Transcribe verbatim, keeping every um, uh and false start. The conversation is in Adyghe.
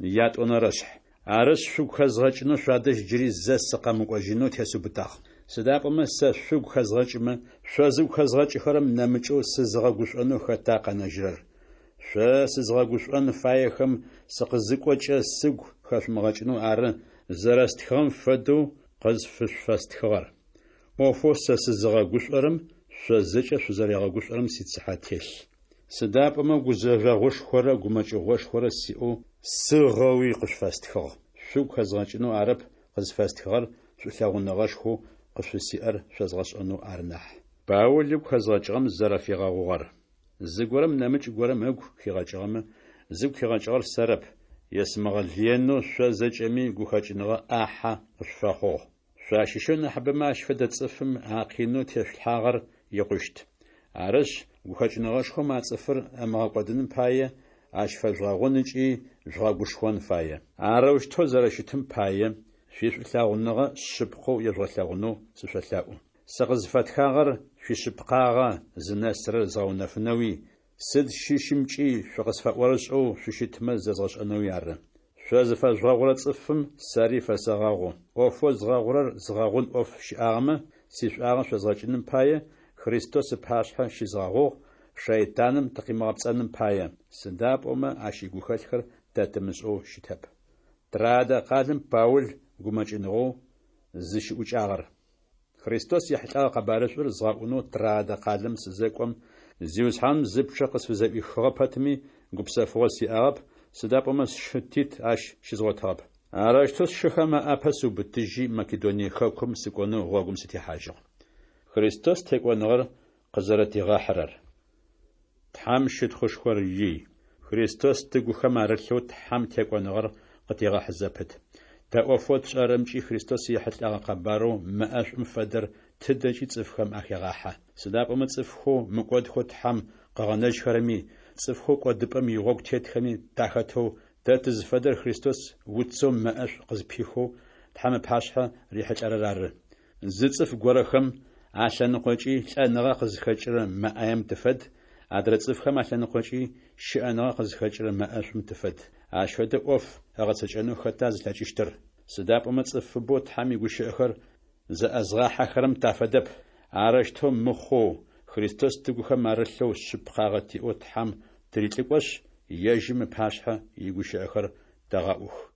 Ятӏонэрэшъхь. Арышъ, шъугу хэзгъэкӏынэу шъуадэжь джыри зэ сыкъэмыкӏожьынэу тесыубытагъ. Сыда пӏомэ сэ шъугу хэзгъэкӏымэ, шъо зыгу хэзгъэкӏыхэрэм нэмыкӏэу сызыгъэгушӏонэу хэта къэнэжьырэр? Шъо сызыгъэгушӏон фаехэм сыкъызыкӏокӏэ сыгу хэшъумыгъэкӏынэу ары зэрэстхыгъэм фэдэу къызфышъуфэстхыгъэр. ӏофэу сэ сызыгъэгушӏорэм шъо зэкӏэ шъузэригъэгушӏорэм сицыхьэ телъ. Сыда пӏомэ гузэжъогъушхорэ гумэкӏыгъошхорэ сиӏэу сыгъэуи къышъуфэстхыгъ. Шъугу хэзгъэкӏынэу арэп къызфэстхыгъэр, шӏулъэгъуныгъэшхоу къышъуфысиӏэр шъозгъэшӏэнэу ары нахь. Паул ыгу хэзгъэкӏыгъэм зэрэфигъэгъугъэр. Зыгорэм нэмыкӏ горэм ыгу хигъэкӏыгъэмэ, зыгу хигъэкӏыгъэр сэрэп, есымыгъэлыенэу шъо зэкӏэми гухэкӏыныгъэ ӏахьэ къышъуфэхъугъ. Шъуащыщэу нахьыбэмэ ащ фэдэ цӏыфым а къинэу тешъулъхьагъэр икъущт. Арышъ, гухэкӏыныгъэшхом а цӏыфыр ымыгъэкӏодыным пае, ащ фэжъугъэгъун ыкӏи жъугъэгушхон фае. Арэущтэу зэрэщытым пае, шъуишӏулъэгъуныгъэ шъыпкъэу ежъугъэлъэгъунэу сышъолъэӏу. Сыкъызфэтхагъэр шъуишъыпкъагъэ зынэсырэр згъэунэфынэуи, сыд щыщымкӏи шъукъысфэӏорышӏэу шъущытмэ зэзгъэшӏэнэуи ары. Шъо зыфэжъугъэгъурэ цӏыфым сэри фэсэгъэгъу. ӏофэу згъэгъурэр згъэгъун ӏоф щыӏагъэмэ, сишӏуагъэ шъозгъэкӏыным пае, Христос ыпашъхьэ щызгъэгъугъ, шэйтаным тыкъимыгъэпцӏэным пае, сыда пӏомэ ащ игухэлъхэр тэ тымышӏэу щытэп. Троадэ къалэм Паул гумэкӏыныгъэу зыщыӏукӏагъэр. Христос ехьылӏэгъэ къэбарышӏур згъэӏунэу Троадэ къалэм сызэкӏом, Зиусхьаным зы пчъэ къысфызэӏуихыгъэ пэтми, гупсэфыгъо сиӏагъэп, сыда пӏомэ сшы Тит ащ щызгъотыгъэп. Арэущтэу сшыхэм аӏапэ сыубытыжьи, Македоние хэкум сыкӏонэу гъогум сытехьажьыгъ. Христос текӏоныгъэр къызэрэтигъэхьырэр. Тхьэм щытхъушхор ий! Христос тыгухэм арылъэу Тхьэм текӏоныгъэр къытегъэхьы зэпыт. Тэ ӏофэу тшӏэрэмкӏи Христос ехьылӏэгъэ къэбарэу мэӏэшӏум фэдэр тыдэкӏи цӏыфхэм ахегъахьэ. Сыда пӏомэ цӏыфхэу мыкӏодхэу Тхьэм къыгъэнэжьхэрэми, цӏыфхэу кӏодыпӏэм игъогу тетхэми тахэтэу, тэ тызфэдэр Христос уцэу мэӏэшӏу къызпихэу Тхьэм ыпашъхьэ рихьылӏэрэр ары. Зы цӏыф горэхэм алъэныкъокӏи лӏэныгъэ къызхэкӏырэ мэ ӏаем тыфэд, адрэ цӏыфхэм алъэныкъокӏи щыӏэныгъэ къызхэкӏырэ мэӏэшӏум тыфэд. Ащ фэдэ ӏоф ыгъэцэкӏэнэу хэта зылъэкӏыщтыр? Сыда пӏомэ цӏыфыбэу Тхьэм игущыӏэхэр зэӏэзгъахьэхэрэм тафэдэп. Арэущтэу мыхъоу, Христос тыгухэм арылъэу шъыпкъагъэ тиӏэу Тхьэм тырилӏыкӏошъ, ежьым ыпашъхьэ игущыӏэхэр тэгъэӏух.